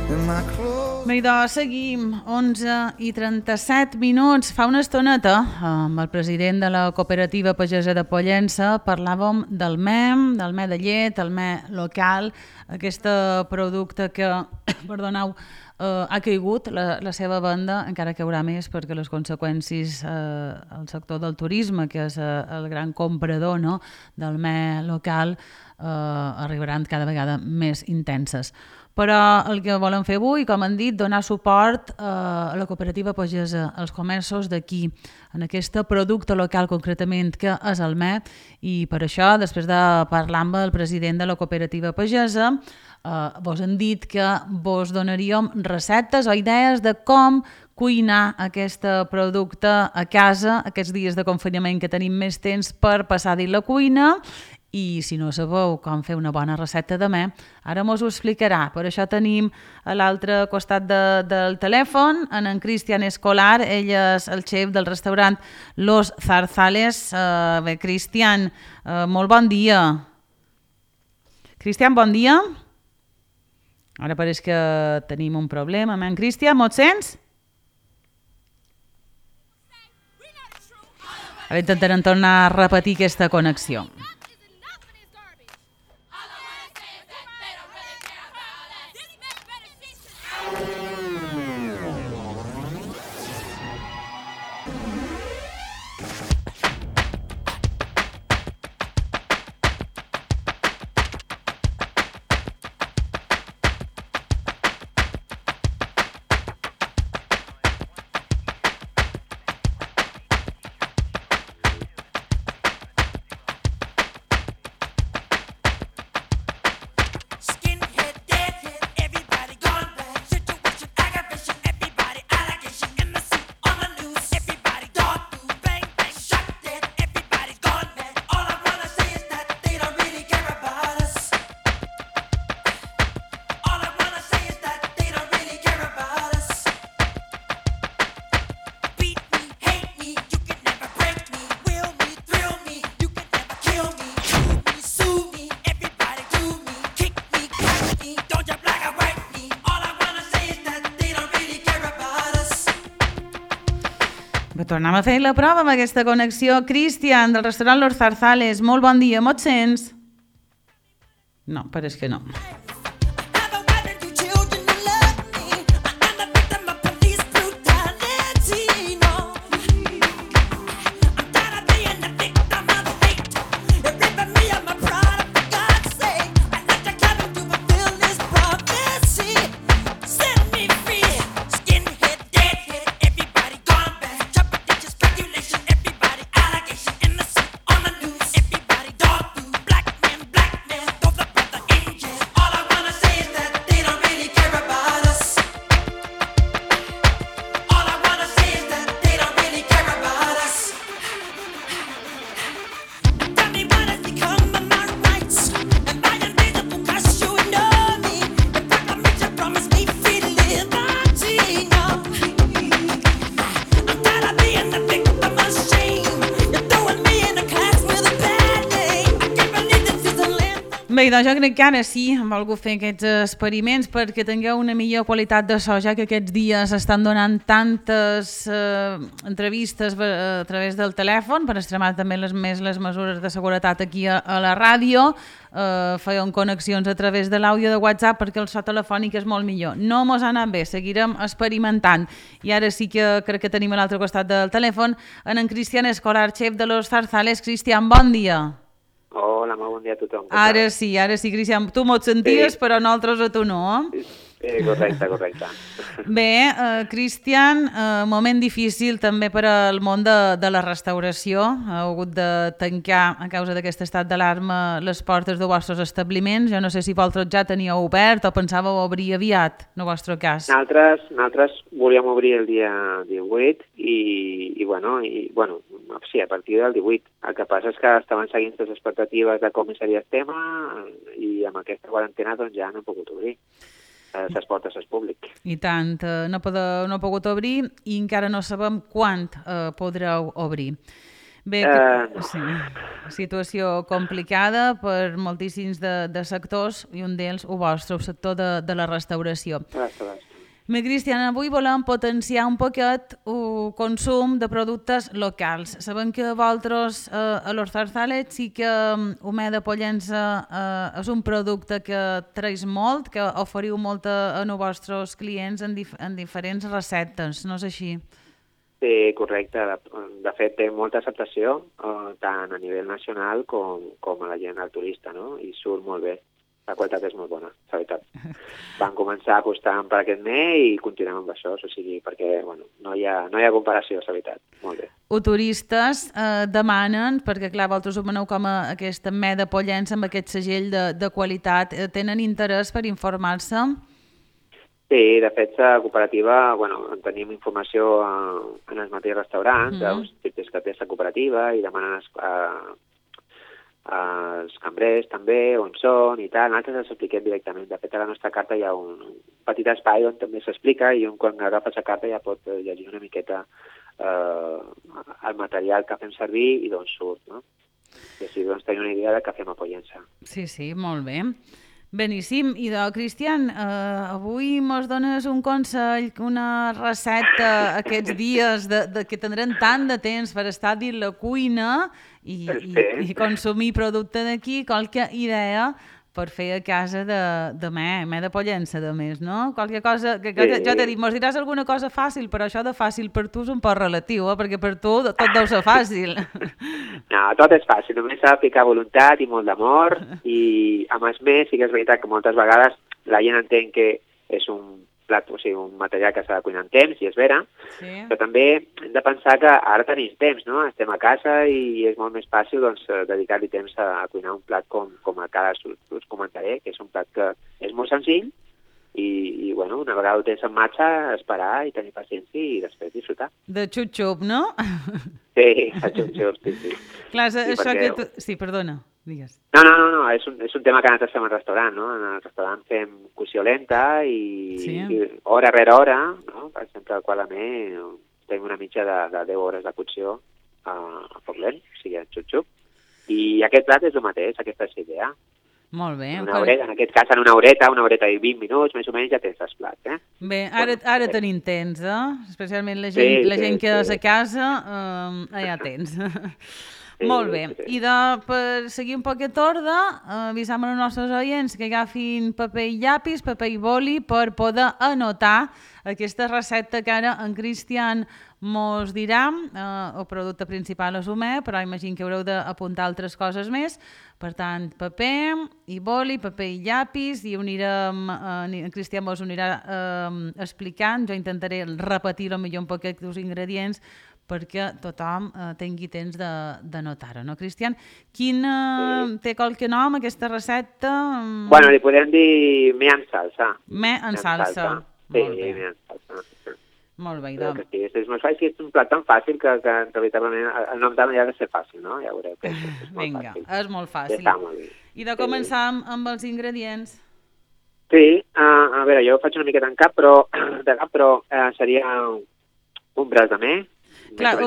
Bé, doncs seguim, 11:37. Fa una estoneta, amb el president de la cooperativa pagesa de Pollença, parlàvem del me de llet, el me local, aquest producte que, perdoneu, ha caigut la seva venda, encara que hi haurà més, perquè les conseqüències al sector del turisme, que és el gran comprador, no?, del me local, arribaran cada vegada més intenses. Però el que volem fer avui, com han dit, donar suport a la cooperativa pagesa, als comerços d'aquí, en aquest producte local concretament que és el me, i per això, després de parlar amb el president de la cooperativa pagesa, vos han dit que vos donaríem receptes o idees de com cuinar aquest producte a casa, aquests dies de confinament que tenim més temps per passar dins la cuina. I si no sabeu com fer una bona recepta de me, ara mos ho explicarà. Per això tenim a l'altre costat del telèfon en Cristian Escolar, ell és el xef del restaurant Los Zarzales. Bé, Cristian, molt bon dia. Cristian, bon dia. Ara pareix que tenim un problema. Cristian, me'l sents? Ara intentarem tornar a repetir aquesta connexió. Tornem a fer la prova amb aquesta connexió. Cristian, del restaurant Los Zarzales, molt bon dia, me'l sents? No, pareix que no. Bé, doncs jo crec que ara sí hem volgut fer aquests experiments perquè tingueu una millor qualitat de so, ja que aquests dies estan donant tantes entrevistes a través del telèfon per extremar també les mesures de seguretat aquí a la ràdio. Feien connexions a través de l'àudio de WhatsApp perquè el so telefònic és molt millor. No mos ha anat bé, seguirem experimentant. I ara sí que crec que tenim a l'altre costat del telèfon en Cristian Escolar, xef de Los Zarzales. Cristian, bon dia. Hola, molt bon dia a tothom. Ara sí, Cristian, tu m'ho senties, sí. Però nosaltres a tu no. Correcte. Bé, Cristian, moment difícil també per al món de la restauració. Heu hagut de tancar, a causa d'aquest estat d'alarma, les portes dels vostres establiments. Jo no sé si vosaltres ja teníeu obert o pensàveu obrir aviat, en el vostre cas. Nosaltres volíem obrir el dia 18 i sí, a partir del 18. El que passa és que estaven seguint les expectatives de com seria el tema i amb aquesta quarantena doncs ja no hem pogut obrir les portes al públic. I tant, no heu pogut obrir i encara no sabem quan podreu obrir. Bé, No. sí, situació complicada per moltíssims de sectors i un d'ells, el vostre, el sector de la restauració. Restauració. Bé, Cristian, avui volem potenciar un poquet el consum de productes locals. Sabem que vosaltres a los Zarzales sí que el me de Pollença és un producte que treus molt, que oferiu molt als vostres clients en diferents receptes, no és així? Sí, correcte. De fet, té molta acceptació, tant a nivell nacional com a la gent, al turista, no? I surt molt bé. La qualitat és molt bona, la veritat. Van començar apostant per aquest mes i continuem amb això, o sigui, perquè bueno, no hi ha comparació, la veritat. Molt bé. Els turistes demanen, perquè clar, vosaltres ho veneu com a aquesta me de Pollença amb aquest segell de qualitat, tenen interès per informar-se? Sí, de fet, la cooperativa, bueno, tenim informació en els mateixos restaurants, dels tips que té la cooperativa i demanen els cambrers també, on són i tal. Nosaltres els expliquem directament. De fet, a la nostra carta hi ha un petit espai on també s'explica i un quan agafa la carta ja pot llegir una miqueta el material que fem servir i d'on surt, no? I així doncs tenir una idea de què fem a Pollença. Sí, sí, molt bé. Beníssim. I de Cristian, avui mos dones un consell, una recepta aquests dies que tindrem tant de temps per estar dins la cuina i consumir producte d'aquí, qualque idea per fer a casa de me de Pollença, de més, no? Qualque cosa, que jo t'he dit, mos diràs alguna cosa fàcil, però això de fàcil per tu és un poc relatiu, perquè per tu tot deu ser fàcil. No, tot és fàcil, només s'ha de ficar voluntat i molt d'amor i a més sí que és veritat que moltes vegades la gent entén que és un plat, o sigui, un material que s'ha de cuinar en temps, i és vera, sí. Però també hem de pensar que ara tenim temps, no? Estem a casa i és molt més fàcil doncs, dedicar-li temps a cuinar un plat com a cada us comentaré, que és un plat que és molt senzill i bueno, una vegada ho tens en marxa, esperar i tenir paciència i després disfrutar. De xup-xup, no? Sí, de xup-xup, sí. Clar, sí, això perquè... que... Sí, perdona. Digues. No, és un tema que nosaltres fem al restaurant, no? En el restaurant fem cocció lenta i hora rere hora, no? Per exemple, quan a mi tenim una mitja de 10 hores de cocció a foc lent, o sigui, en xup-xup. I aquest plat és el mateix, aquesta és l'idea. Molt bé. En aquest cas, en una horeta i 20 minuts, més o menys, ja tens els plats, eh? Bé, ara tenim temps, especialment la gent que és a casa, ja tens. Sí, molt bé. Sí. I per seguir un poquet d'ordre, avisam als nostres oients que agafin paper i llapis, paper i boli per poder anotar aquesta recepta que ara en Cristian mos dirà. El producte principal és humà, però imagino que haureu d'apuntar altres coses més. Per tant, paper i boli, paper i llapis, i en Cristian mos anirà explicant. Jo intentaré repetir millor un poquet dels ingredients perquè tothom tingui temps d'anotar-ho, no, Cristian? Té qualque nom, aquesta recepta? Bueno, li podem dir me en salsa. Me en salsa. Sí, me en salsa. Molt bé, doncs. Sí, és molt fàcil, és un plat tan fàcil que en realitat el nom també ha de ser fàcil, no? Ja veureu que és molt Vinga, fàcil. És molt fàcil. Està molt bé. I de començar amb els ingredients? Sí, a veure, jo faig una miqueta en cap, però seria un braç de me. Clar,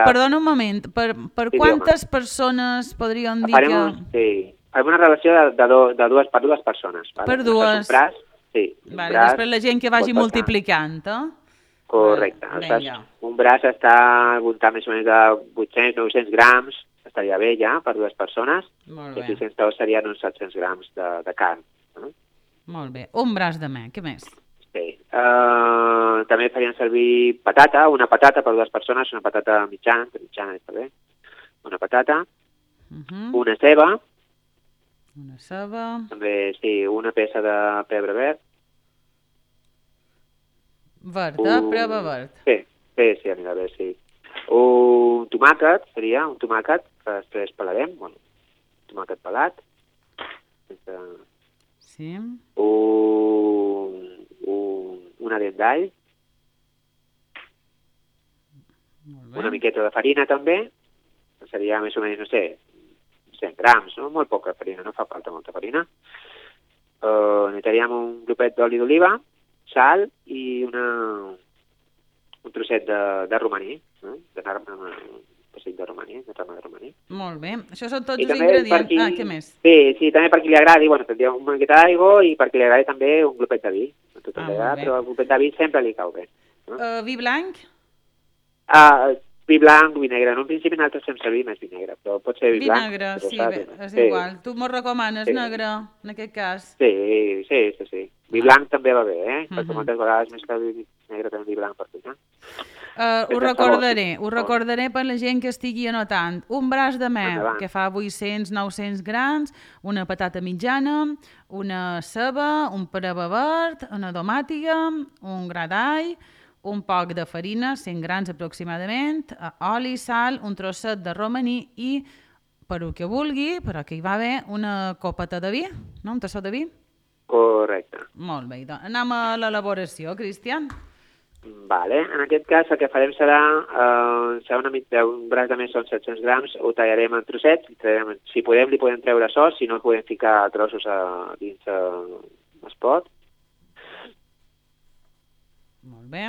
perdona un moment, per quantes persones podríem dir que... Sí, alguna relació per dues persones. Per dues. Un braç, sí. Vale, després la gent que vagi multiplicant, Correcte. Un braç està al voltant més o menys de 800-900 grams, estaria bé ja per dues persones. Molt bé. I 600 serien uns 700 grams de carn. Molt bé. Un braç de me, què més? Sí. També farien servir una patata per dues persones, una patata mitjana està bé, una patata, una ceba, també, sí, una peça de pebre verd. Verd, pebre verd. Sí, anirà bé, sí. Un tomàquet, que després pelarem, un tomàquet pelat. Sí. Una dent d'all, una miqueta de farina també, seria més o menys, no sé, 100 grams, no? Molt poca farina, no fa falta molta farina. Necessitaríem un glopet d'oli d'oliva, sal i un trosset de romaní, pessic de romaní, de ramat romaní. Molt bé. Això són tots I els també per ingredients. qui... Què més? Sí, també per qui li agradi, bueno, tindria una miqueta d'aigua i per qui li agradi també un glopet de vi. A tothom li agrada, molt bé. però el glopet de vi sempre li cau bé. No? Vi blanc? Vi blanc, vi negre. En un principi nosaltres fem servir més vi negre, però pot ser vi blanc. Negre, però sí, saps? bé, és igual. Tu m'ho recomanes negre, en aquest cas? Sí. Vi blanc també va bé, perquè moltes vegades més que el vi negre també vi blanc per cuinar. Ho recordaré per la gent que estigui anotant. Un braç de mel, que fa 800-900 grams, una patata mitjana, una ceba, un peraba verd, una tomàtiga, un gra d'all, un poc de farina, 100 grams aproximadament, oli, sal, un trosset de romaní i, per el que vulgui, però que hi va bé, una copeta de vi, no? Un tassó de vi? Correcte. Molt bé, doncs anem a l'elaboració, Cristian. Vale. En aquest cas el que farem serà un braç de més són 700 grams, ho tallarem en trossets, si podem li podem treure sos, si no podem ficar trossos dins el pot. Molt bé.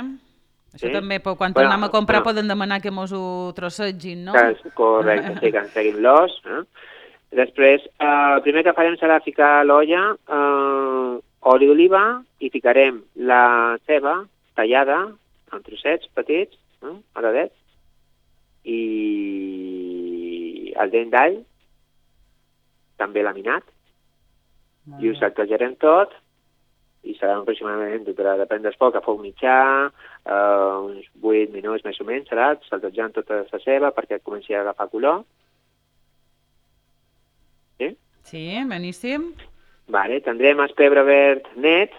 Això també, quan tornem a comprar, poden demanar que mos ho trossegin, no? Correcte, sí, que ens treguin l'os. Després, el primer que farem serà ficar a l'olla oli d'oliva i ficarem la ceba tallada en trossets petits, aradets, i el dent d'all, també laminat, i ho sacsejarem tot, i serà aproximadament, depèn del foc, a foc mitjà, uns 8 minuts més o menys, serà saltejant tota la ceba perquè comenci a agafar color. Sí? Sí, beníssim. Vale, tindrem el pebre verd net,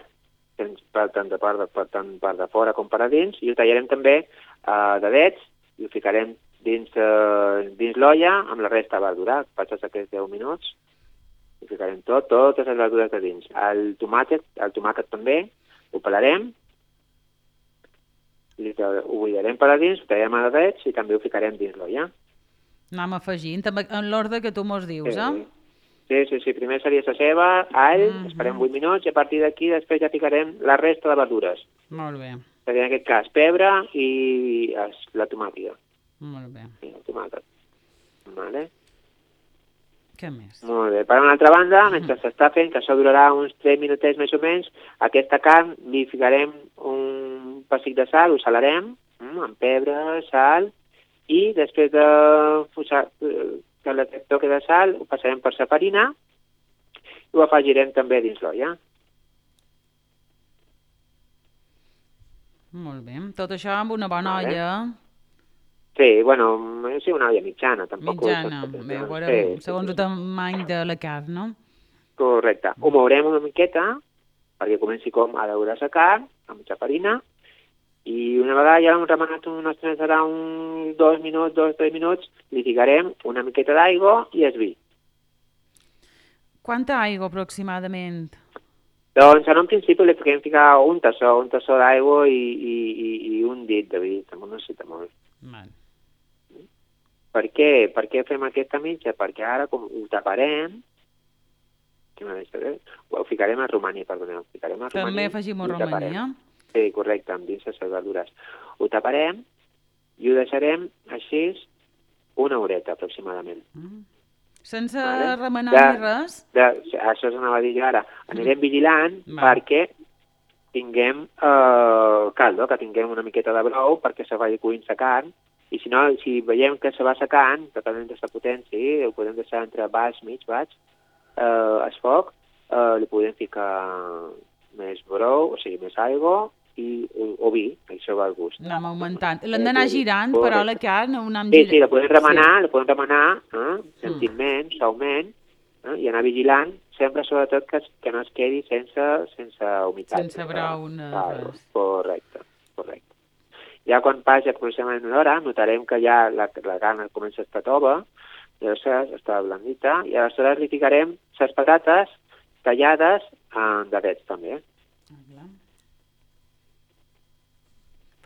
tant per de fora com per a dins, i ho tallarem també de dets, i ho ficarem dins l'olla amb la resta de verdura, passats aquests 10 minuts. Ho ficarem totes les verdures de dins. El tomàquet també, ho pelarem, ho buidarem per a dins, ho tallarem a dets i també ho ficarem dins l'olla. Anem afegint, en l'ordre que tu mos dius, Sí, primer seria la ceba, all, esperem 8 minuts i a partir d'aquí després ja ficarem la resta de verdures. Molt bé. Seria en aquest cas pebre i la tomàtica. Molt bé. I el tomàquet. Vale. Què més? Molt bé. Per una altra banda, mentre s'està fent, que això durarà uns 3 minutets més o menys, aquesta carn li ficarem un pessic de sal, ho salarem, amb pebre, sal, i després de que aquest toque de sal ho passarem per la farina i ho afegirem també dins l'olla. Molt bé. Tot això amb una bona olla. Sí, una olla mitjana. Mitjana, segons el tamany de la carn, no? Correcte. Ho mourem una miqueta perquè comenci a daure la carn amb la farina i una vegada ja l'hem remenat serà uns 2 minuts, 2-3 minuts, li ficarem una miqueta d'aigua i el vi. Quanta aigua aproximadament? Doncs en un principi li ficar un tassó d'aigua i un dit de vi, també no necessita molt. Per què? Per què fem aquesta mitja? Perquè ara com ho taparem, ho ficarem a romaní, perdoneu. També afegim romaní, Sí, correcte, amb dins les verdures. Ho taparem i ho deixarem així una horeta aproximadament. Sense remenar ni res? Això s'anava a dir jo ara. Anirem vigilant perquè tinguem caldo, que tinguem una miqueta de brou perquè se vagi cuint la carn. I si no, si veiem que se va secant, depenent de la potència, ho podem deixar entre baix, mig, baix, al foc, li podem ficar més brou, o sigui, més aigua o vi, això va al gust. Anem augmentant. L'hem d'anar girant, però la carn ho anem girant. Sí, la podem remenar, gentilment, suaument, i anar vigilant, sempre sobretot que no es quedi sense humitat. Sense brou, res. Correcte. Ja quan passi aproximadament una hora, notarem que ja la carn comença a estar tova, llavors està blandita, i aleshores li ficarem les patates tallades en dadets també.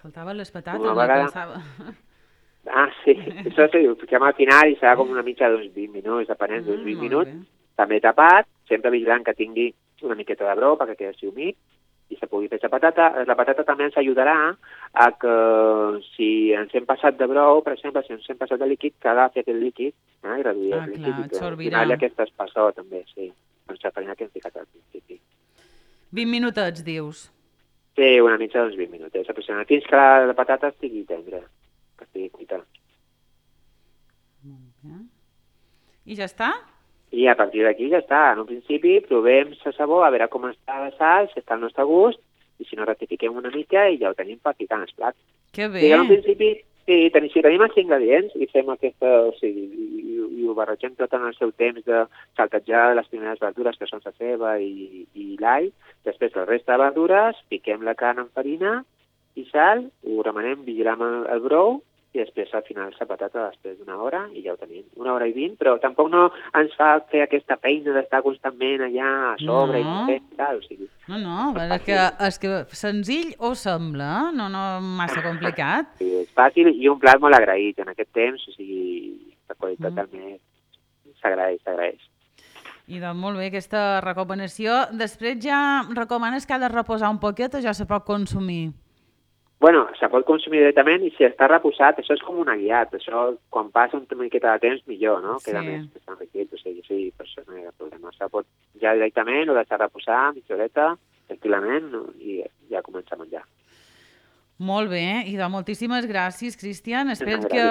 Faltaven les patates, no pensava. Sí, això sí, ho fiquem al final i serà com una mitja d'uns 20 minuts, depenent d'uns 20 minuts, també tapat, sempre vigilant que tingui una miqueta de brou perquè quedi humit, i se pugui fer la patata. La patata també ens ajudarà a que si ens hem passat de brou, per exemple, si ens hem passat de líquid, que agafi aquest líquid i reduir el líquid i que al final aquest espessor també, sí, doncs la farina que hem ficat al principi. 20 minutets, dius? Sí, una mitja d'uns 20 minutets aproximadament, fins que la patata estigui tendra, que estigui cuita. Molt bé. I ja està? I a partir d'aquí ja està. En un principi provem la sabor, a veure com està la sal, si està al nostre gust, i si no rectifiquem una mica i ja ho tenim per ficar en el plat. Que bé! I en un principi, si tenim els ingredients i fem aquesta, i ho barregem tot en el seu temps de saltejar les primeres verdures, que són la ceba i l'all, després la resta de verdures, piquem la carn amb farina i sal, ho remenem, vigilem el brou, i després al final la patata després d'una hora i ja ho tenim, 1 hora i 20, però tampoc no ens fa fer aquesta feina d'estar constantment allà a sobre i tal, o sigui... No, és que senzill ho sembla, no massa complicat. Sí, és fàcil i un plat molt agraït en aquest temps, o sigui, la qualitat també s'agraeix. I doncs molt bé, aquesta recomanació. Després ja recomanes que ha de reposar un poquet o ja se pot consumir? Bueno, se pot consumir directament i si està reposat, això és com una guiat, això quan passa una miqueta de temps millor, no? Queda més enriquit, o sigui, sí, per això no hi ha problema. Se pot ja directament o deixar reposar mitja horeta, tranquil·lament, i ja comença a menjar. Molt bé, i doncs moltíssimes gràcies, Cristian. Espero que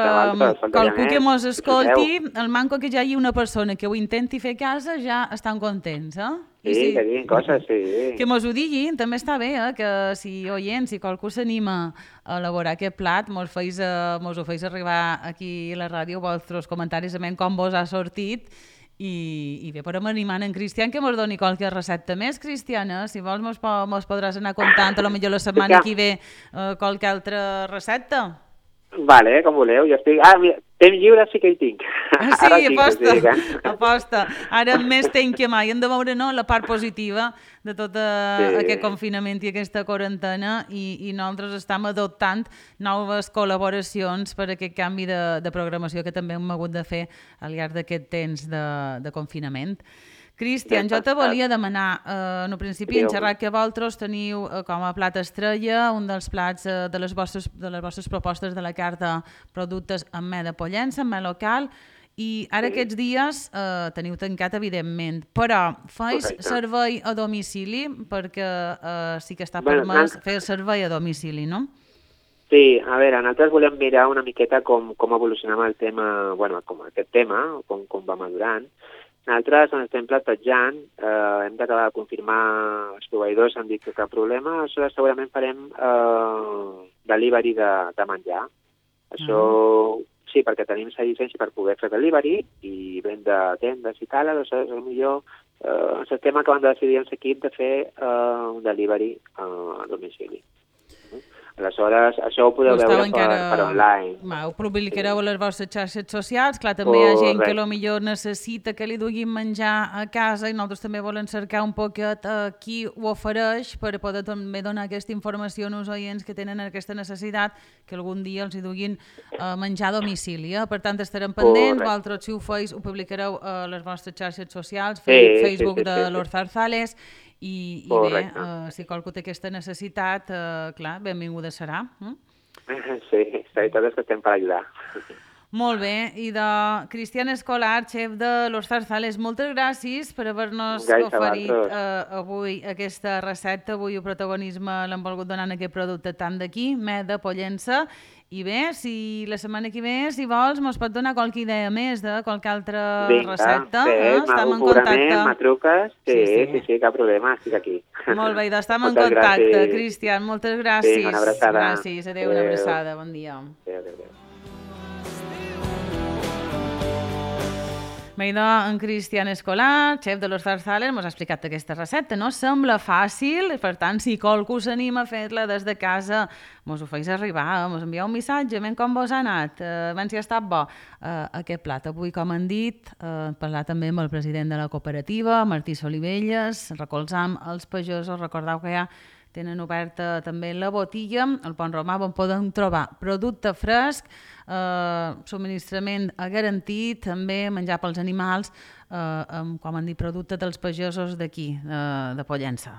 qualcú que mos escolti, el manco que ja hi ha una persona que ho intenti fer a casa, ja estan contents, eh? Sí, que diguin coses, sí. Que mos ho diguin, també està bé, que si oient, si qualcú s'anima a elaborar aquest plat, mos ho feis arribar aquí a la ràdio, vostres comentaris, com vos ha sortit, i bé, podem animar en Cristian que mos doni qualque recepta més, Cristiana. Si vols mos podràs anar contant, potser la setmana que ve qualque altra recepta. Vale, com voleu, jo estic... mira, temps lliure sí que hi tinc. Sí, aposta. Ara més temps que mai. Hem de veure la part positiva de tot aquest confinament i aquesta quarantena i nosaltres estem adoptant noves col·laboracions per aquest canvi de programació que també hem hagut de fer al llarg d'aquest temps de confinament. Cristian, jo te volia demanar, en un principi, en xerrat que vosaltres teniu com a plat estrella un dels plats de les vostres propostes de la carta productes amb me de Pollença, amb me local, i ara aquests dies teniu tancat, evidentment, però feis servei a domicili, perquè sí que està permès fer servei a domicili, no? Sí, a veure, nosaltres volem mirar una miqueta com evolucionem el tema, bueno, com aquest tema, com va madurant. Nosaltres ens estem plantejant, hem d'acabar de confirmar els proveïdors, han dit que cap problema, aleshores segurament farem delivery de menjar. Això sí, perquè tenim la llicència per poder fer delivery i vendre tendes i tal, aleshores potser ens estem acabant de decidir en l'equip de fer un delivery a domicili. Aleshores, això ho podeu veure per online. Ho publicareu a les vostres xarxes socials. Clar, també hi ha gent que potser necessita que li duguin menjar a casa i nosaltres també volem cercar un poquet qui ho ofereix per poder també donar aquesta informació als oients que tenen aquesta necessitat que algun dia els hi duguin menjar a domicili. Per tant, estarem pendents. Vosaltres, si ho feis, ho publicareu a les vostres xarxes socials, Facebook de Los Zarzales. I bé, si qualcú té aquesta necessitat, clar, benvinguda serà. Sí, la veritat és que estem per ajudar. Molt bé, i de Cristian Escolar, xef de Los Zarzales, moltes gràcies per haver-nos oferit avui aquesta recepta, avui el protagonisme l'hem volgut donar en aquest producte tant d'aquí, me de Pollença. I bé, si la setmana que ve, si vols, mos pot donar qualque idea més de qualque altra recepta. Estem en contacte. Me truques, sí, cap problema, estic aquí. Molt bé, estem en contacte, Cristian, moltes gràcies. Vinga, una abraçada. Gràcies, adéu, una abraçada, bon dia. Adéu. En Cristian Escolar, xef de Los Zarzales, ens ha explicat aquesta recepta. No sembla fàcil, per tant, si qualcú s'anima a fer-la des de casa, ens ho feis arribar, ens envieu un missatge, com vos ha anat, si ha estat bo aquest plat. Avui, com han dit, parlar també amb el president de la cooperativa, Martí Solivelles, recolzam els pagesos, recordeu que ja tenen oberta també la botilla, al Pont Romà, on poden trobar producte fresc, subministrament garantit, també menjar pels animals, com han dit, producte dels pagesos d'aquí, de Pollença.